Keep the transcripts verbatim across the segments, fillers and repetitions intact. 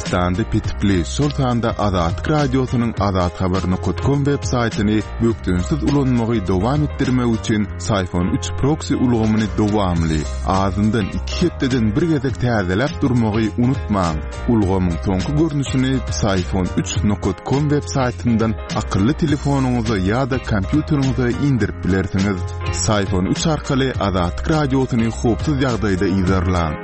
Türkmenistanda petikli, şol sanda Azatlyk Radiosynyň azathabar nokat kom web saýtyny bökdençsiz ulanmagy dowam etdirmek üçin Syfon üç proksi ulgamyny dowamly, azyndan iki hepdeden bir gezek täzeläp durmagy unutmaň. Ulgamyň soňky görnüşini Syfon üç nokat kom web saýtyndan akylly telefonyňyza ýa-da kompýuteriňize indirip bilersiňiz. Syfon üç arkaly Azatlyk Radiosyny howpsuz ýagdaýda yzarlaň.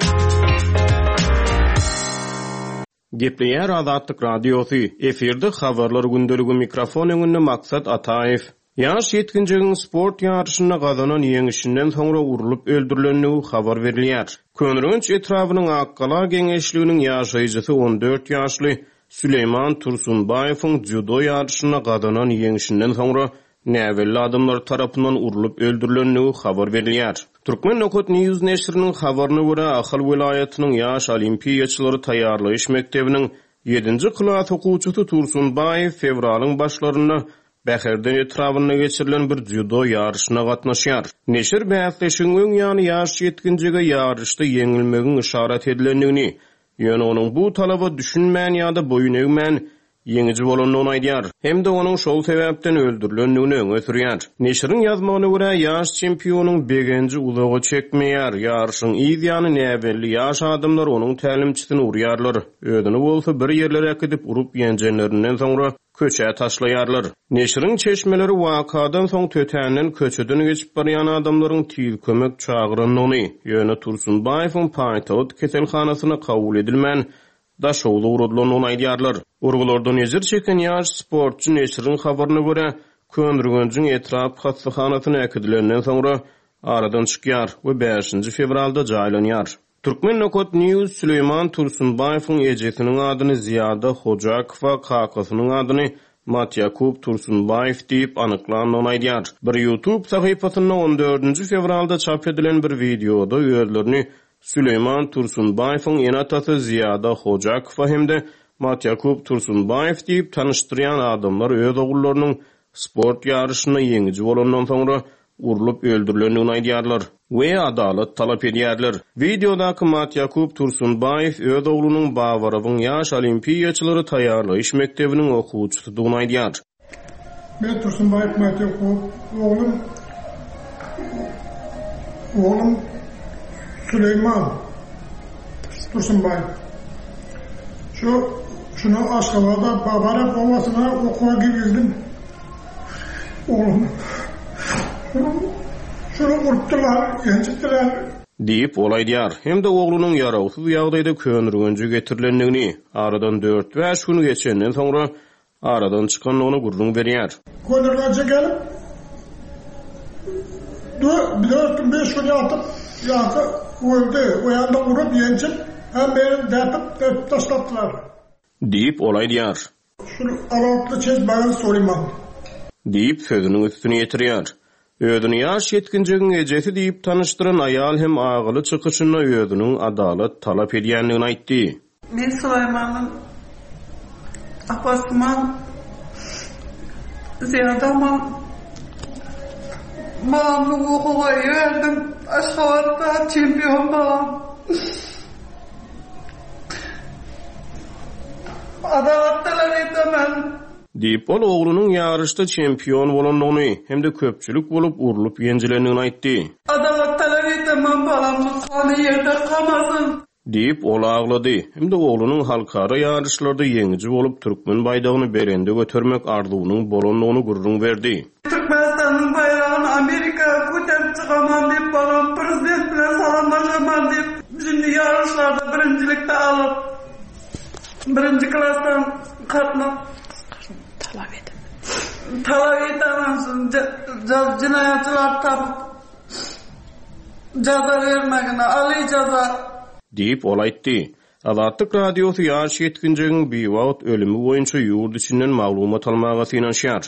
Gepleýär Azatlyk Radiosy. Efirde habarlar gündeligi mikrofon öňünde Maksat Ataýew. Ýaş ýetginjegiň sport ýaryşynda gazanan ýeňişinden soňra urlup öldürilendigi habar berilýär. Köneürgenç etrabynyň Akgala geňeşliginiň ýaşaýjysy on dört ýaşly Süleýman Tursunbaýewiň dzýudo ýaryşynda gazanan ýeňişinden soňra näbelli adamlar tarapyndan urlup öldürilendigi habar berilýär. Türkmen Nokat News neşiriniň habaryna görä, Ahal welaýatynyň ýaş olimpiýaçylary taýýarlaýyş mekdebiniň ýedinji klas okuwçysy Tursunbaýew fewralyň başlarynda Bäherden etrabynda geçirilen bir dzýudo ýaryşyna gatnaşýar. Neşir bäsleşigiň öň ýany ýaş ýetginjege ýaryşda ýeňilmegiň yşarat edilendigini, ýöne onuň bu talaba düşünmän ýa-da boýun egmän ýeňiji bolandygyny aýdýar. Hem-de onuň şol sebäpden öldürilendigini öňe sürýär. Neşiriň ýazmagyna görä, ýaş çempionyň begenji uzaga çekmeýär. Ýaryşyň yz ýany näbelli ýaş adamlar onuň tälimçisini urýarlar. Özüni bolsa bir ýerlere äkidip urup ýenjenlerinden soňra köçä taşlaýarlar. Neşiriň çeşmeleri wakadan soň tötänden köçeden geçip barýan adamlaryň tiz kömek çagyrandygyny, ýöne Tursunbaýewiň paýtagt keselhanasyna kabul edilmän Daşoguz ugradylandygyny aýdýarlar. Urgulardan ejir çeken ýaş sportçy neşiriň habaryna görä, Köneürgenjiň etrap hassahanasyna äkidilenden soňra aradan çykýar we bäşinji fewralda jaýlanýar. Türkmen Nokat News Süleýman Tursunbaýewiň ejesiniň adyny Ziýada Hojakowa, kakasynyň adyny Matýakub Tursunbaýew diýip anyklandygyny aýdýar. Bir YouTube sahypasynda on dördünji fewralda çap edilen bir wideoda özlerini Süleýman Tursunbaýewiň ene-atasy Ziýada Hojakowa hem-de Matýakub Tursunbaýew diýip tanyşdyrýan adamlar öz ogullarynyň sport ýaryşynda ýeňiji bolandan soňra urlup öldürilendigini aýdýarlar we adalat talap edýärler. Wideodaky Matýakub Tursunbaýew öz oglunyň Babarowyň ýaş olimpiýaçylary taýýarlaýyş mekdebiniň okuwçysydygyny aýdýar. Men Tursunbaýew Matýakub, oglum, oglum Süleýman Tursunbaýew. Şu, şunu Aşgabatda Babarow obasyna okuwa girdim. Oglum. Şunu urupdylar, ýenjipdiler. Diýip, ol aýdýar. Hem-de oglunyň ýarawsyz ýagdaýda Köneürgenje getirilendigini, aradan dört-bäş gün geçenden soňra aradan çykandygyny gürrüň berýär. Köneürgenje gelip, dört gün, beş gün ýatyp, ýaňky öldi. O ýanda urup, ýenjip, hem meni däpip, däpip taşlapdylar. Diýip, ol aýdýar. Şul alatly çezmäge Suleýman. Diýip, sözüniň üstüni ýetirýär. Özüni ýaş ýetginjegiň ejesi diýip tanyşdyran aýal hem agyly çykyşynda özüniň adalat talap edýändigini aýtdy. Men Suleýmanyň apasyman Ziýadaman balamny okuwa berdim. Aşgabatda çempion balam. Adalat talap edemem. Diýip, ol oglunyň ýaryşda çempion bolandygyny hem-de köpçülik bolup urlup ýenjilendigini aýtdy. Adalat talap edemem, balamny gany ýerde kalmasyn. Diýip, ol aglady. Hem-de oglunyň halkara ýaryşlarda ýeňiji bolup türkmen baýdagyny belende götermek arzuwynyň bolandygyny gürrüň berdi. Türkmenistanyň baýdagyny Amerika göterip çykaman diýip, balam prezident bilen salamlaşaman diýip, şimdi ýaryşlarda birinjilikde alyp, birinji klasdan katmak talap edip. Talap edemem, jinaýatçylar tapyp jaza bermegine, aly jaza. Diýip, ol aýtdy. Azatlyk Radiosy ýaş ýetginjegiň biwagt ölümi boýunça ýurt içinden maglumat almaga synanyşýar.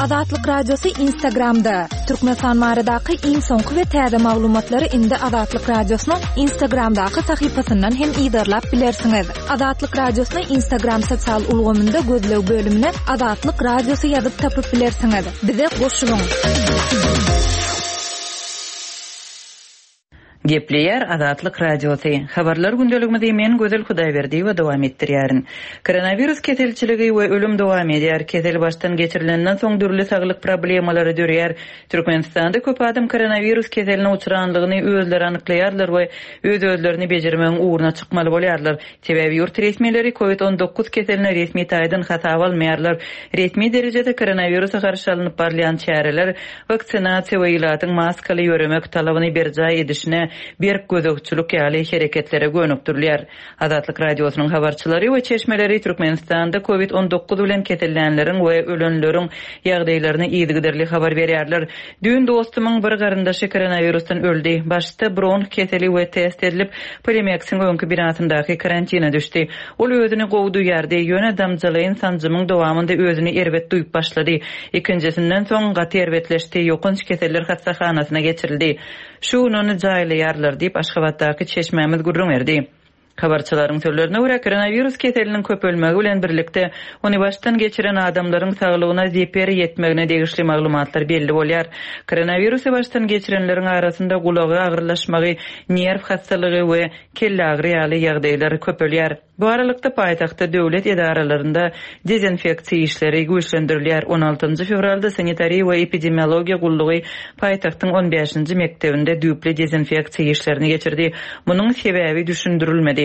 Azatlyk Radiosy Instagramda. Türkmenistan baradaky iň soňky we täze maglumatlary indi Azatlyk Radiosynyň Instagramdaky sahypasyndan hem yzarlap bilersiňiz. Azatlyk Radiosyny Instagram sosial ulgamynda gözleg bölümine Azatlyk Radiosy ýazyp tapyp bilersiňiz. Bize goşulyň. Gepleýär Azatlyk Radiosy. Habarlar gündeligimizi men Gözel Hudaýberdiýewa dowam etdirýärin. Koronawirus keselçiligi we ölüm dowam edýär. Kesel başdan geçirilenden soň dürli saglyk problemalary döreýär. Türkmenistanda köp adam koronawirus keseline uçranlygyny özleri anyklaýarlar we öz-özlerini bejermegiň ugruna çykmaly bolýarlar. Sebäbi ýurt resmileri COVID on dokuz keseline resmi taýdan hasaba almaýarlar. Resmi derejede koronawirusa garşy alnyp barylýan çäreler, waksinasiýa we ilatyň maskaly ýöremek talabyny berjaý edişine berk gözegçilik ýaly hereketlere gönükdirilýär. Azatlyk Radiosynyň habarçylary we çeşmeleri Türkmenistanda COVID on dokuz bilen kesellänleriň we ölenleriň ýagdaýlaryny yzygiderli habar berýärler. Düýn dostumyň bir garyndaşy koronavirusdan öldi. Başda bronh keseli we test edilip, Polimeksiň öňki binasyndaky karantina düşdi. Ol özüni gowy duýardy, ýöne damjalaýyn sanjymyň dowamynda özüni erbet duýup başlady. Ikinjisinden soň gaty erbetleşdi, ýokanç keseller hassahanasyna geçirildi. Şu gün ony jaýlaýarlar diýip Aşgabatdaky çeşmämiz gürrüň berdi. Habarçylaryň sözlerine görä koronavirus keseliniň köpelmegi bilen birlikde ony başdan geçiren adamlaryň saglygyna zeper ýetmegine degişli maglumatlar belli bolýar. Koronavirusy başdan geçirenleriň arasynda gulagy agyrlaşmagy, nerw hastalygy we kelle agyry ýaly ýagdaýlar köpelýär. Bu aralykda paýtagtda döwlet edaralarynda dezinfeksiýa işleri güýçlendirilýär. on altynjy fewralda sanitariýa we epidemiologiýa gullugy paýtagtyň on bäşinji mekdebinde düýpli dezinfeksiýa işlerini geçirdi. Munuň sebäbi düşündirilmedi.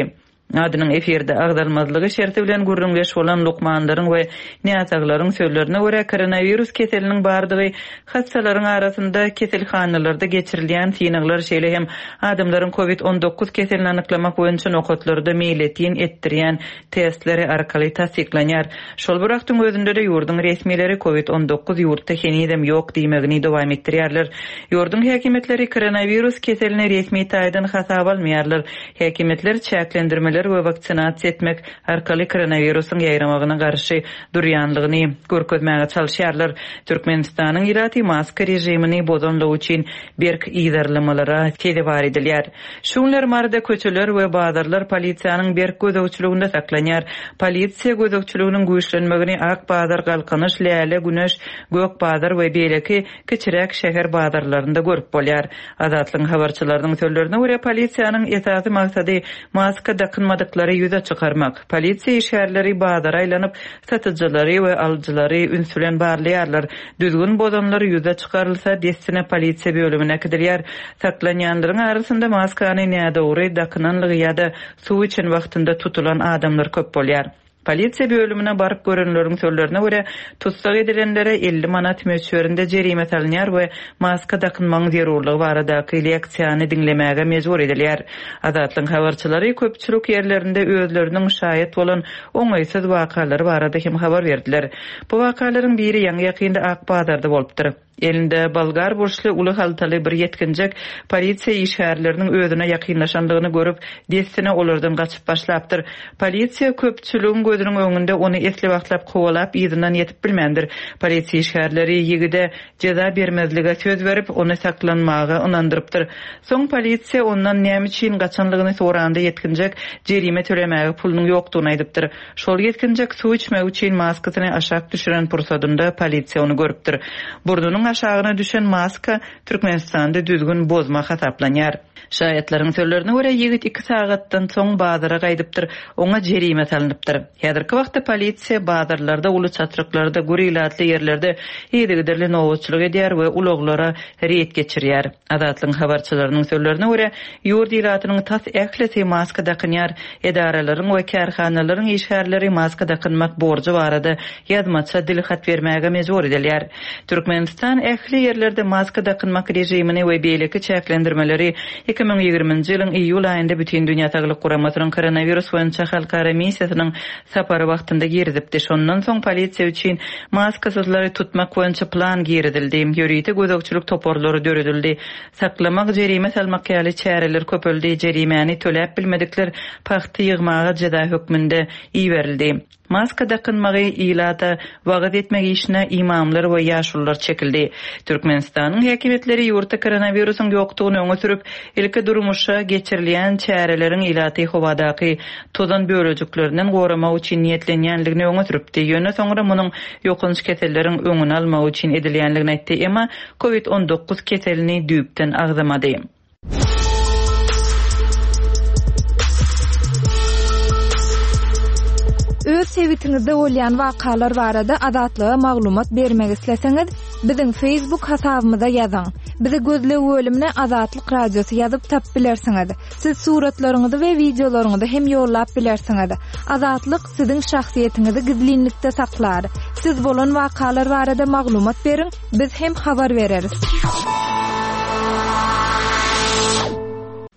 Adynyň efirde agzalmazlygy şerti bilen gürrüňdeş bolan lukmanlaryň we näsaglaryň sözlerine görä koronavirus keseliniň bardygy hassalaryň arasynda keselhanalarda geçirilýän synaglar şeýle hem adamlaryň COVID on dokuz keselini anyklamak boýunça nokatlarda meýletin etdirýän testleri arkaly tassyklanýar. Şol bir wagtyň özünde de ýurduň resmileri COVID on dokuz ýurtda henizem ýok diýmegini dowam etdirýärler. Ýurduň häkimiýetleri koronavirus keselini resmi taýdan hasaba almaýarlar. Häkimiýetler çäklendirmeler we waksinasiýa etmek arkaly koronawirusyň ýaýramagyna garşy durýanlygyny görkezmäge çalyşýarlar. Türkmenistanyň ilaty maska rejimini bozanlygy üçin berk yzarlamalara sezewar edilýär. Şu günler Maryda köçeler we bazarlar polisiýanyň berk gözegçiliginde saklanýar. Polisiýa gözegçiliginiň güýçlenmegini Ak bazar, Galkynyş, Läle, Güneş, Gök bazar we beýleki kiçiräk şäher bazarlarynda görüp bolýar. Azatlygyň habarçylarynyň sözlerine görä polisiýanyň esasy maksady maska dakynmadyklary ýüze çykarmak. Polisiýa işgärleri bazara aýlanyp, satyjylary we alyjylary üns bilen barlaýarlar. Düzgün bozanlar ýüze çykarylsa, dessine polisiýa bölümine äkidilýär. Saklanýanlaryň arasynda maskany nädogry dakynanlygy ýa-da suw içen wagtynda tutulan adamlar köp bolýar. Polisiýa bölümine baryp görenleriň sözlerine görä tussag edilenlere elli manat möçberinde jerime salynýar we maska dakynmagyň zerurlygy baradaky leksiýany diňlemäge mejbur edilýär. Azatlygyň habarçylary köpçülik ýerlerinde özleriniň şaýat bolan oňaýsyz wakalary barada hem habar berdiler. Bu wakalaryň biri ýaňy ýakynda Ak bazarda bolupdyr. Elinde bolgar burçly uly haltaly bir ýetginjek polisiýa işgärleriniň özüne ýakynlaşandygyny görüp, dessine olardan gaçyp başlapdyr. Polisiýa köpçüligiň gözüniň öňünde ony esli wagtlap kowalap yzyndan ýetip bilmändir. Polisiýa işgärleri ýigide jeza bermezlige söz berip, ony saklanmaga ynandyrypdyr. Soň polisiýa ondan näme üçin gaçanlygyny soranda ýetginjek jerime tölemäge pulunyň ýokdugyny aýdypdyr. Şol ýetginjek suw içmek üçin maskasyny aşak düşüren pursadynda polisiýa ony görüpdir. Burnunyň aşagyna düşen maska Türkmenistanda düzgün bozma hasaplanýar. Şaýatlaryň sözlerine görä ýigit iki sagatdan soň bazara gaýdypdyr, oňa jerime salynypdyr. Häzirki wagtda polisiýa bazarlarda, uly çatryklarda, gür ilatly ýerlerde yzygiderli nobatçylyk edýär we ulaglara reýd geçirýär. Azatlygyň habarçylarynyň sözlerine görä ýurt ilatynyň tas ählisi maska dakynýar. Edaralaryň we kärhanalaryň işgärleri maska dakynmak borjy barada ýazmaça dil hat bermäge mejbur edilýär. Türkmenistan ähli ýerlerde maska dakynmak rejimini we beýleki çäklendirmeleri iki müň ýigriminji ýylyň iýul aýynda Bütün Dünýä Saglyk Guramasynyň koronavirus boýunça halkara missiýasynyň sapary wagtynda girizipdi. Şondan soň polisiýa üçin maskasyzlary tutmak boýunça plan girizildi. Ýörite gözegçilik toparlary döredildi. Saklamak, jerime salmak ýaly çäreler köpeldi. Jerimäni töläp bilmedikler pagta ýygmaga jeza hökmünde iberildi. Maska dakynmagy ilata wagyz etmek işine imamlar we ýaşulular çekildi. Türkmenistanyň häkimiýetleri ýurtda koronawirusyň ýokdugyny öňe sürüp, ilki durmuşa geçirilýän çäreleriň ilaty howadaky tozan bölejiklerinden goramak üçin niýetlenýänligini öňe sürüpdi. Ýöne soňra munuň ýokanç keselleriň öňüni almak üçin edilýänligini aýtdy. Emma COVID on dokuz keselini düýpden agzamady. Sebitiňizde bolýan wakalar barada Azatlyga maglumat bermek isleseňiz, biziň Facebook hasabymyza ýazyň. Bizi gözleg bölümine Azatlyk Radiosy ýazyp tapyp bilersiňiz. Siz suratlaryňyzy we wideolaryňyzy hem ýollap bilersiňiz. Azatlyk siziň şahsyýetiňizi gizlinlikde saklar. Siz bolan wakalar barada maglumat beriň, biz hem habar bereris.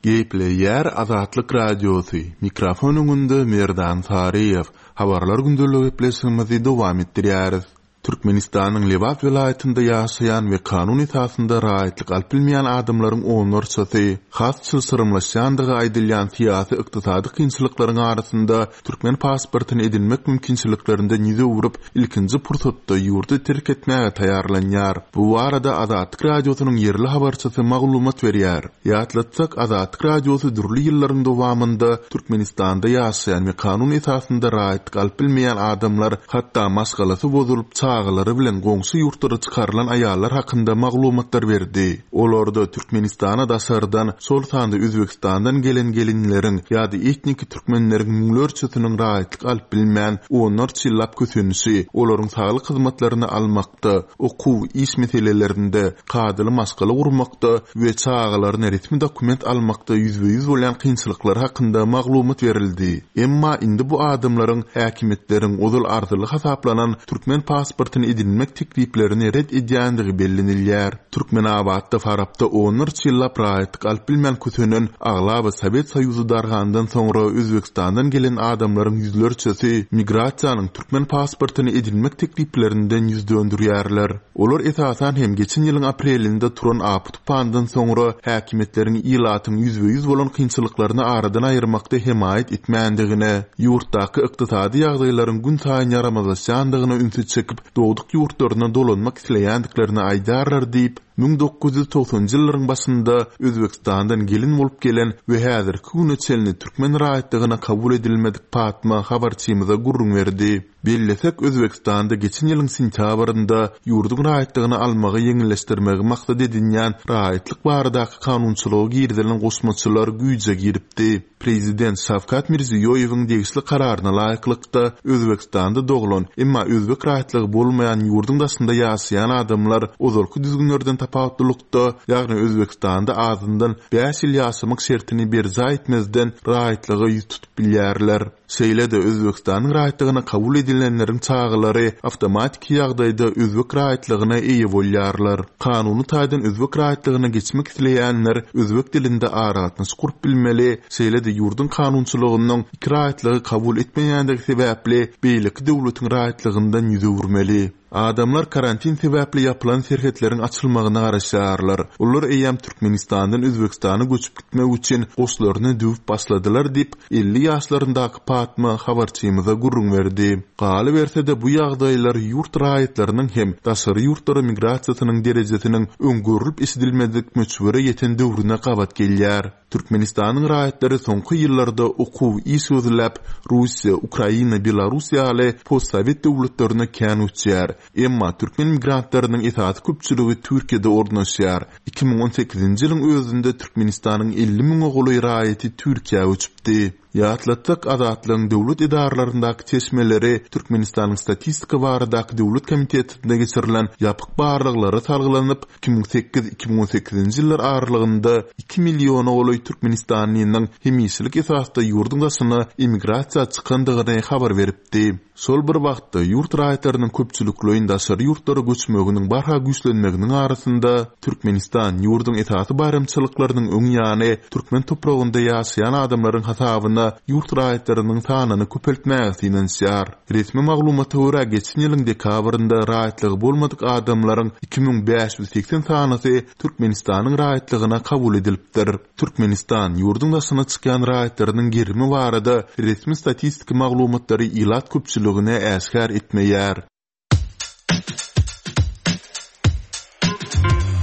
Gepleýär Azatlyk Radiosy. Mikrofon öňünde Merdan Saryýew. Habarlar gündeligi gepleşigimizi dowam etdirýäris. Türkmenistanyň Lebap welaýatynda ýaşaýan we kanun esasynda raýatlyk alyp bilmeýän adamlaryň onlarçasy has çylşyrymlaşýandygy aýdylýan syýasy ykdysady kynçylyklaryň arasynda türkmen pasportyny edinmek mümkinçiliklerinden ýüz öwrüp, ilkinji pursatda ýurdy terk etmäge taýýarlanýar. Bu barada Azatlyk Radiosynyň ýerli habarçysy maglumat berýär. Ýatlatsak, Azatlyk Radiosy dürli ýyllaryň dowamynda Türkmenistanda ýaşaýan we kanun esasynda raýatlyk alyp bilmeýän adamlar, hatda maşgalasy bozulyp, çagalary bilen goňşy ýurtlara çykarylan aýallar hakynda maglumatlar berdi. Olarda Türkmenistana daşardan, şol sanda Özbegistandan gelen gelinleriň ýa-da etniki türkmenleriň müňlerçesiniň raýatlyk alyp bilmän, onlarça ýyllap kösenişi, olaryň saglyk hyzmatlaryny almakda, okuw, iş meselelerinde, kadaly maşgala gurmakda we çagalaryna resmi dokument almakda ýüzbe-ýüz bolýan kynçylyklar hakynda maglumat berildi. Emma indi bu adamlaryň häkimiýetleriň ozal arzyly hasaplanan türkmen pasportyny edinmek tekliplerini ret edýändigi bellenilýär. Türkmenabatda Farapda onlarça ýyllap raýatlyk alyp bilmän kösenen aglaba Sowet Soýuzy dargandan soňra Özbegistandan gelen adamlaryň ýüzlerçesi migrasiýanyň türkmen pasportyny edinmek tekliplerinden ýüz döndürýärler. Olar esasan hem geçen ýylyň aprelinde turan apy tupandan soňra häkimiýetleriň ilatyň ýüzbe-ýüz bolan kynçylyklaryny aradan aýyrmakda hemaýat etmändigine, ýurtdaky ykdysady ýagdaýlaryň gün saýyn ýaramazlaşýandygyna ünsi çekip, dogduk ýurtlaryna dolanmak isleýändiklerini aýdarlar diýip, müň dokuz ýüz togsanjy ýyllaryň başynda Özbegistandan gelin bolup gelen we häzirki güne çenli türkmen raýatlygyna kabul edilmedik Patma habarçymyza gürrüň berdi. Bellesek, Özbegistanda geçen ýylyň sentýabrynda ýurduň raýatlygyny almagy ýeňilleşdirmegi maksat edinýän raýatlyk baradaky kanunçylyga girizilen goşmaçalar güýje giripdi. Prezident Şawkat Mirziýoýewiň degişli kararyna laýyklykda Özbegistanda doglan, emma özbek raýatlygy bolmaýan ýurduň daşynda ýaşaýan adamlar ozalky düzgünlerden tapawutlylykda, ýagny Özbegistanda azyndan bäş ýyl ýaşamak şertini berjaý etmezden raýatlyga ýüz tutup bilýärler. Şeýle-de Özbegistanyň raýatlygyna kabul edilenleriň çagalary awtomatiki ýagdaýda özbek raýatlygyna eýe bolýarlar. Kanuny taýdan özbek raýatlygyna geçmek isleýänler özbek dilinde aragatnaşyk gurup bilmeli, şeýle-de ýurduň kanunçylygynyň iki raýatlygy kabul etmeýändigi sebäpli beýleki döwletiň raýatlygyndan ýüz öwürmeli. Adamlar karantin sebäpli ýapylan serhetleriň açylmagyna garaşýarlar. Olar eýýäm Türkmenistandan Özbegistana göçüp gitmek üçin goşlaryny düwüp başladylar diýip, elli ýaşlaryndaky Patma habarçymyza gürrüň berdi. Galyberse-de bu ýagdaýlar ýurt raýatlarynyň hem daşary ýurtlara migrasiýasynyň derejesiniň öň görülip eşidilmedik möçbere ýeten döwrüne gabat gelýär. Türkmenistanyň raýatlary soňky ýyllarda okuw, iş gözläp, Russiýa, Ukraina, Belarus ýaly postsowet döwletlerine kän göçýär. Emma türkmen migrantlarynyň esasy köpçüligi Türkiýede ornaşýar. iki müň on sekizinji ýylyň özünde Türkmenistanyň elli müňe golaý raýaty Türkiýä göçüpdi. Ýatlatsak, Azatlygyň döwlet edaralaryndaky çeşmeleri Türkmenistanyň Statistika baradaky döwlet komitetinde geçirilen ýapyk barlaglara salgylanyp, iki müň sekiz iki müň on sekizinji ýyllar aralygynda iki milliona golaý Türkmenistanlynyň hemişelik esasda ýurduň daşyna emigrasiýa çykandygyny habar beripdi. Şol bir wagtda ýurt raýatlarynyň köpçülikleýin daşary ýurtlara göçmeginiň barha güýçlenmeginiň arasynda Türkmenistan ýurduň esasy baýramçylyklarynyň öň ýany türkmen topragynda ýaşaýan adamlaryň hasabyna ýurt raýatlarynyň sanyny köpeltmäge synanyşýar. Resmi maglumata görä geçen ýylyň dekabrynda raýatlygy bolmadyk adamlaryň iki müň bäş ýüz seksen sanysy Türkmenistanyň raýatlygyna kabul edilipdir. Türkmenistan ýurduň daşyna çykýan raýatlarynyň gerimi barada resmi statistiki maglumatlary ilat köpçüligine äşgär etmeýär.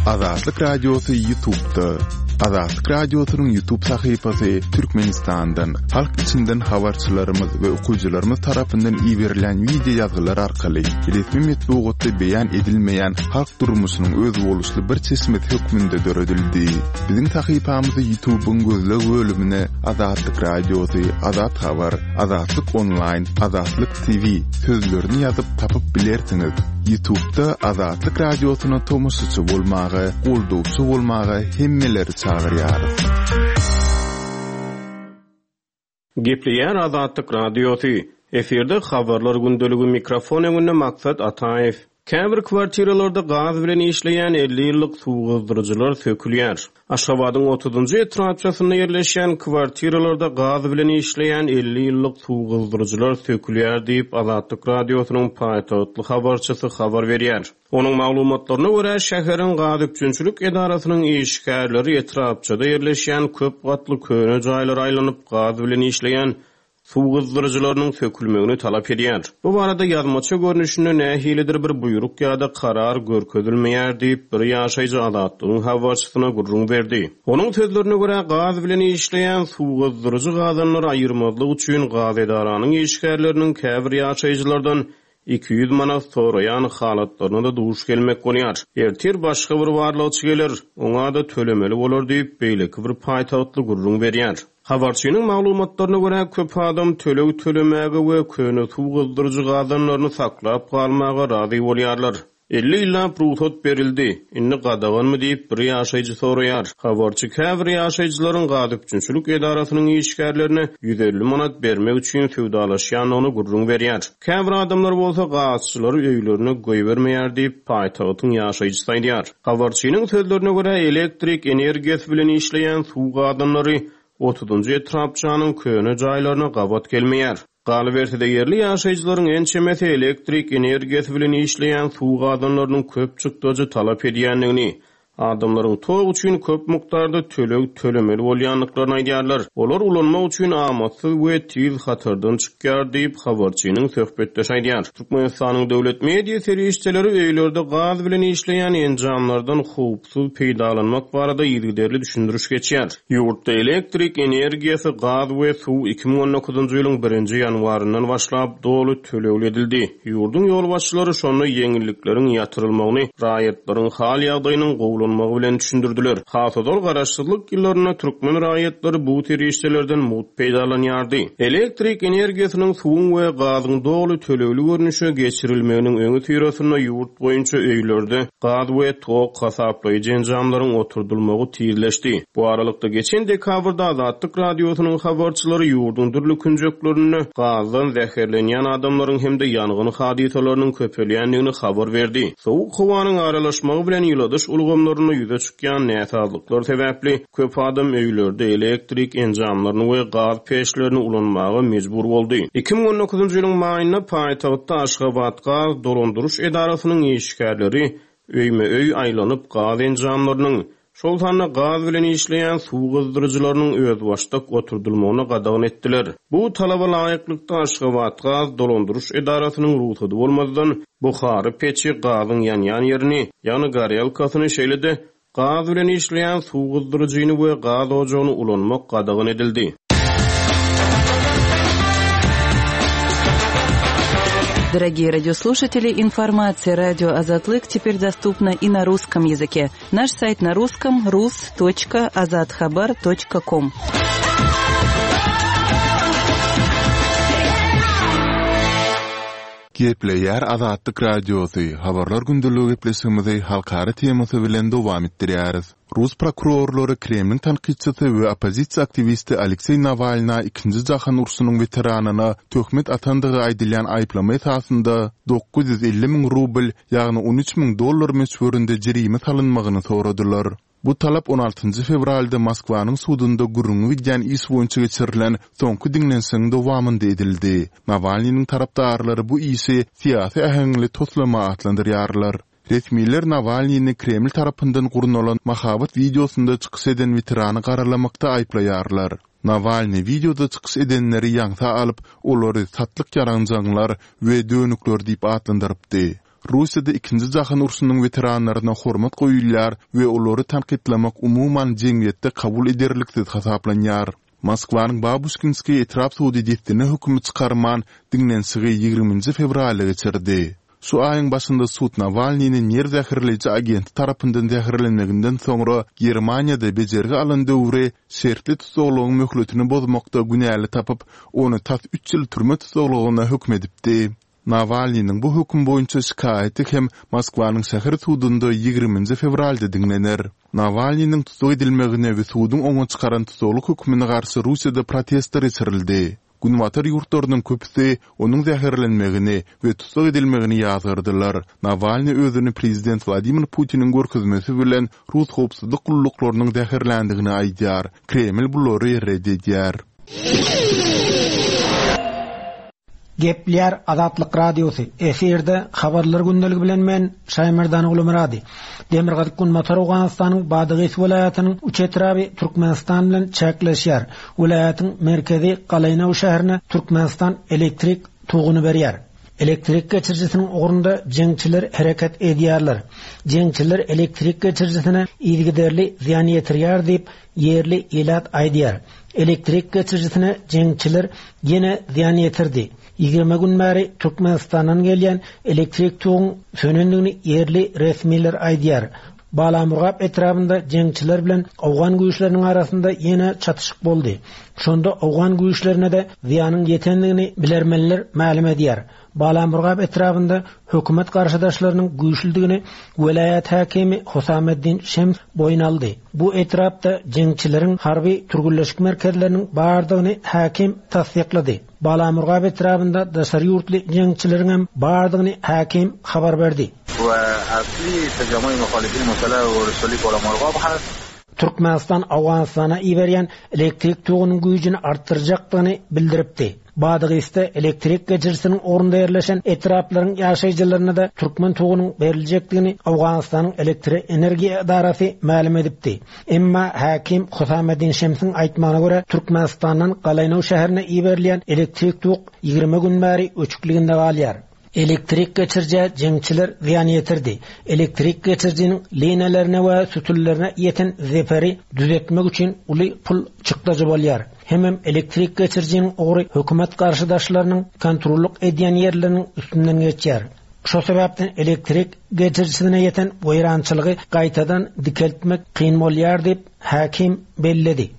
Azatlyk Radiosy YouTube'da. Azatlyk Radiosynyň YouTube sahypasy Türkmenistandan, halk içinden habarçylarymyz we okyjylarymyz tarapyndan iberilen wideo ýazgylar arkaly resmi metbugatda beýan edilmeýän halk durmuşynyň özboluşly bir çeşmesi hökmünde döredildi. Biziň sahypamyzy YouTube'yň gözleg bölümine Azatlyk Radiosy, Azat Habar, Azatlyk Online, Azatlyk T V sözlerini ýazyp tapyp bilersiňiz. YouTube'da Azatlyk Radiosyna tomaşaçy bolmaga, goldawçy bolmaga hemmeleri çagyrýarys. Gepleýär Azatlyk Radiosy. Efirde habarlar gündeligi mikrofon öňünde Maksat Ataýew. Käbir kwartiralarda gaz bilen işleýän elli ýyllyk suw gyzdyryjylar sökülýär. Aşgabadyň otuzunjy etrapçasynda ýerleşýän kwartiralarda gaz bilen işleýän elli ýyllyk suw gyzdyryjylar sökülýär diýip Azatlyk Radiosynyň paýtagtly habarçysy habar berýär. Onuň maglumatlaryna görä, şäheriň gaz üpjünçilik edarasynyň işgärleri etrapçada ýerleşýän köp gatly köne jaýlara aýlanyp gaz bilen işleýän suw gyzdyryjylarynyň sökülmegini talap edýär. Bu barada ýazmaça görnüşinde nähilidir bir buýruk ýa-da karar görkezilmeýär diýip bir ýaşaýjy Azatlygyň habarçysyna gürrüň berdi. Onuň sözlerine görä, gaz bilen işleýän suw gyzdyryjy gazanlary aýyrmazlyk üçin gaz edaranyň işgärleriniň käbir ýaşaýjylardan iki ýüz manat soraýan halatlaryna da duş gelmek bolýar. Ertir başga bir barlagçy geler, oňa da tölemeli bolar diýip beýleki bir paýtagtly gürrüň berýär. Habarçynyň maglumatlaryna görä, köp adam töleg tölemäge we köne suw gyzdyryjy gazanlaryny saklap galmaga razy bolýarlar. Elli ýyllap rugsat berildi, indi gadaganmy diýip bir ýaşaýjy soraýar. Habarçy käbir ýaşaýjylaryň gaz üpjünçilik edarasynyň işgärlerine ýüz elli manat bermek üçin söwdalaşýandygyny gürrüň berýär. Käbir adamlar bolsa gazçylary öýlerine goýbermeýär diýip paýtagtyň ýaşaýjysy aýdýar. Habarçynyň sözlerine görä, elektrik energiýasy bilen işleýän suw gazanlary otuzunjy etrapçanyň köne jaýlaryna gabat gelmeýär. Galyberse-de ýerli ýaşaýjylaryň ençemesi elektrik energiýasy bilen işleýän suw gazanlarynyň köp çykdajy talap edýändigini, adamlaryň tok üçin köp mukdarda töleg tölemeli bolýandyklaryny aýdýarlar. Olar ulanmak üçin amatsyz we tiz hatardan çykýar diýip habarçynyň söhbetdeşi aýdýar. Türkmenistanyň döwlet media serişdeleri öýlerde gaz bilen işleýän enjamlardan howpsuz peýdalanmak barada yzygiderli düşündiriş geçýär. Ýurtda elektrik energiýasy, gaz we suw iki müň on dokuzunjy ýylyň birinji ýanwaryndan başlap doly tölegli edildi. Ýurduň ýolbaşçylary şonda ýeňillikleriň ýatyrylmagyny raýatlaryň hal ýagdaýynyň gowulanmagy bilen düşündirdiler. Has ozal garaşsyzlyk ýyllarynda türkmen raýatlary bu serişdelerden mugt peýdalanýardy. Elektrik energiýasynyň suwuň we gazyň doly tölegli görnüşe geçirilmeginiň öňi syrasynda ýurt boýunça öýlerde gaz we tok hasaplaýjy enjamlaryň oturdylmagy tizleşdi. Bu aralykda geçen dekabrda Azatlyk Radiosynyň habarçylary ýurduň dürli künjeklerinde gazdan zäherlenýän adamlaryň hem-de ýangyn hadysalarynyň köpelýändigini habar berdi. Sowuk howanyň aralaşmagy bilen ýyladyş ulgamlarynda ýüze çykýan näsazlyklar sebäpli köp adam öýlerde elektrik enjamlaryny we gaz peçlerini ulanmaga mejbur boldy. iki müň on dokuzunjy ýylyň maýynda paýtagtda Aşgabat gaz dolandyryş edarasynyň işgärleri öýme-öý aýlanyp gaz enjamlarynyň, şol sanda gaz bilen işleýän suw gyzdyryjylarynyň özbaşdak oturdylmagyna gadagan etdiler. Bu talaba laýyklykda Aşgabat gaz dolandyryş edarasynyň rugsady bolmazdan buhary peçi gazyň ýanýan ýerini, ýagny gorelkasyny, şeýle-de gaz bilen işleýän suw gyzdyryjyny we gaz ojagyny ulanmak gadagan edildi. Дорогие радиослушатели, информация радио Азатлык теперь доступна и на русском языке. Наш сайт на русском рус точка азатхабар точка ком. Gepleýär Azatlyk Radiosy, habarlar gündeligi gepleşigimizi halkara temasy bilen dowam etdirýäris. Rus prokurorlary Kremliň tankytçysy we oppozisiýa aktiwisti Aleksey Nawalna ikinji jahan urşunyň weteranyna töhmet atandygy aýdylýan aýyplama esasynda dokuz ýüz elli müň rubl, ýagny on üç müň dollar möçberinde jerime salynmagyny soradylar. Bu talap on altynjy fewralda Moskwanyň sudunda gürrüňi gidýän iş boýunça geçirilen soňky diňlenişigiň dowamynda edildi. Nawalnynyň tarapdarlary bu işi syýasy äheňli toslama atlandyrýarlar. Resmiler Nawalnyny Kreml tarapyndan gurnalan mahabat wideosynda çykyş eden weterany garalamakda aýyplaýarlar. Nawalny wideoda çykyş edenleri ýaňsa alyp, olary satlyk ýaranjaňlar we dönükler diýip atlandyrypdy. Russiýada Ikinji jahan urşunyň weteranlaryna hormat goýulýar we olary tankytlamak umuman jemgyýetde kabul ederliksiz hasaplanýar. Moskwanyň Babuşkinskiý etrap sudy dessine hökümi çykarman, diňlenişigi ýigriminji fewralda geçirdi. Şu aýyň başynda sud Nawalnyny nerw zäherleýji agenti tarapyndan zäherlenmeginden soňra Germaniýada bejergi alan döwri şertli tussaglygyň möhletini bozmakda günäli tapyp, ony tas üç ýyl türme tussaglygyna höküm edipdi. Nawalnynyň bu höküm boýunça şikaýaty hem Moskwanyň şäher sudunda ýigriminji fewralda diňlener. Nawalnynyň tussag edilmegine we suduň oňa çykaran tussaglyk hökmüne garşy Russiýada protestler geçirildi. Günbatar ýurtlarynyň köpüsi onuň zäherlenmegini we tussag edilmegini ýazgardylar. Nawalnyý özüni prezident Wladimir Putiniň görkezmesi bilen rus howpsuzlyk gulluklarynyň zäherländigini aýdýar. Kreml bulary ret edýär. Gepleýär Azatlyk Radiosy, efirde Habarlar gündeligi bilen men Şaýmerdan Gulumyrady. Demirgazyk Günbatar Owganystanyň Badagys welaýatynyň üç etraby Türkmenistan bilen çäkleşýär. Welaýatyň merkezi Galaýnaw şäherine Türkmenistan elektrik toguny berýär. Elektrik geçirijisiniň ugrunda jeňçiler hereket edýärler. Jeňçiler elektrik geçirijisine yzygiderli zyýan ýetirýär diýip, ýerli ilat aýdýar. Elektrik geçirijisine jeňçiler ýene zyýan ýetirdi. Ýigrimi gün bäri Türkmenistandan gelýän elektrik toguň sönendigini ýerli resmiler aýdýar. Balamurgap etrabynda jeňçiler bilen owgan güýçleriniň arasynda ýene çatyşyk boldy. Şonda owgan güýçlerine-de zyýanyň ýetendigini bilermenler mälim edýär. Balamurgap etrabynda hökümet garşydaşlarynyň güýçlüdigini welaýat häkimi Husameddin Şems boýun aldy. Bu etrapda jeňçileriň harby türgenleşik merkezleriniň bardygyny häkim tassyklady. Balamurgap etrabynda daşary ýurtly jeňçileriň hem bardygyny häkim habar berdi. We asly tejamui muhalifin musallah we Balamurgap has. Türkmenistan Owganystana iberýän elektrik togunyň güýjüni artdyrjakdygyny bildiripdi. Badagysda elektrik geçirijisiniň ugrunda ýerleşen etraplaryň ýaşaýjylaryna-da türkmen togunyň beriljekdigini Owganystanyň elektroenergiýa edarasy mälim edipdi. Emma häkim Husameddin Şemsiň aýtmagyna görä, Türkmenistandan Galaýnaw şäherine iberilýän elektrik tok ýigrimi gün bäri öçükliginde galýar. Elektrik geçirijä jeňçiler zyýan ýetirdi. Elektrik geçirijiniň liniýalarına we sütünlerine ýeten zeperi düzetmek üçin uly pul çykdajy bolýar. Hemem elektrik geçirijiniň ugry hökümet garşydaşlarynyň kontrollyk edýän ýerleriniň üstünden geçýär. Şo sebäpden elektrik geçirijisine ýeten weýrançylygy gaýtadan dikeltmek kyn bolýar diýip häkim belledi.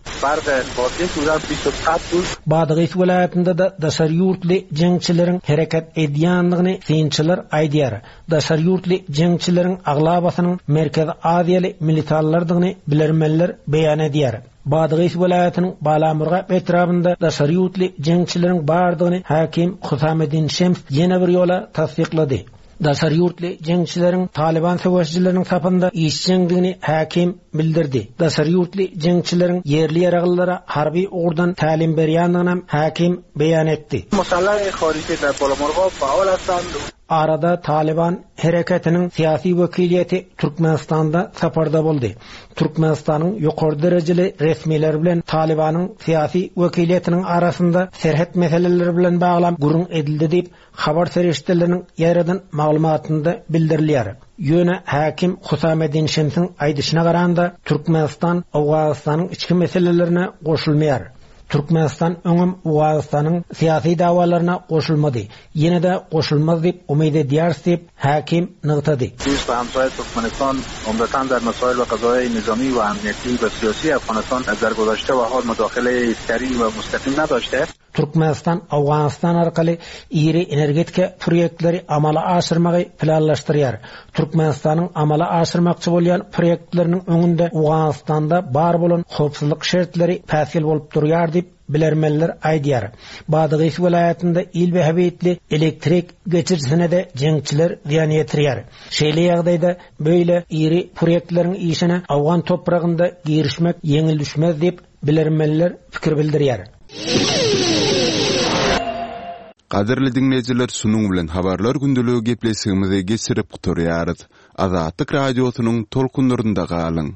Badagys welaýatynda-da daşary ýurtly jeňçileriň hereket edýändigini synçylar aýdýar. Daşary ýurtly jeňçileriň aglabasynyň Merkezi Aziýaly militarlardygyny bilermenler beýan edýär. Badagys welaýatynyň Balamurgap etrabynda daşary ýurtly jeňçileriň bardygyny häkim Husameddin Şems ýene bir ýola tassyklady. Daşary ýurtly jeňçileriň Taliban söweşijileriniň sapynda işjeňdigini häkim bildirdi. Daşary ýurtly jeňçileriň ýerli ýaraglylara harby ugurdan tälim berýändigini häkim beýan etdi. Arada Taliban hereketiniň syýasy wekiliýeti Türkmenistanda saparda boldy. Türkmenistanyň ýokary derejeli resmileri bilen Talibanyň syýasy wekiliýetiniň arasynda serhet meseleleri bilen baglan gürrüň edildi diýip, habar serişdeleriniň ýaýradan maglumatynda bildirilýär. Ýöne häkim Husameddin Şemsiň aýdyşyna garanda Türkmenistan Owganystanyň içki meselelerine goşulmaýar. Türkmenistan öňem Owganystanyň syýasy dawalaryna goşulmady. Ýene-de goşulmaz diýip umyt edýäris diýip häkim nygtady. دوست و همسایه Türkmenistan عمدتاً در مسائل و قضایای نظامی و امنیتی و سیاسی Afganistan در گذشته و حال مداخله سریع و مستقیم نداشته. Türkmenistan Owganystan arkaly iri energetika proýektleri amala aşyrmagy planlaşdyrýar. Türkmenistanyň amala aşyrmakçy bolýan proýektleriniň öňünde Owganystanda bar bolan howpsuzlyk şertleri päsgel bolup durýar diýip bilermenler aýdýar. Badagys welaýatynda il behebetli elektrik geçirijisine de jeňçiler zyýan ýetirýär. Şeýle ýagdaýda böyle iri proýektleriň işine Owgan topragynda girişmek ýeňil düşmez diýip bilermenler pikir bildirýär. Gadyrly dinleýjiler, şunuň bilen habarlar gündeligi gepleşigimizi geçirip gutarýarys. Azatlyk radiosynyň tolkunlarynda galyň.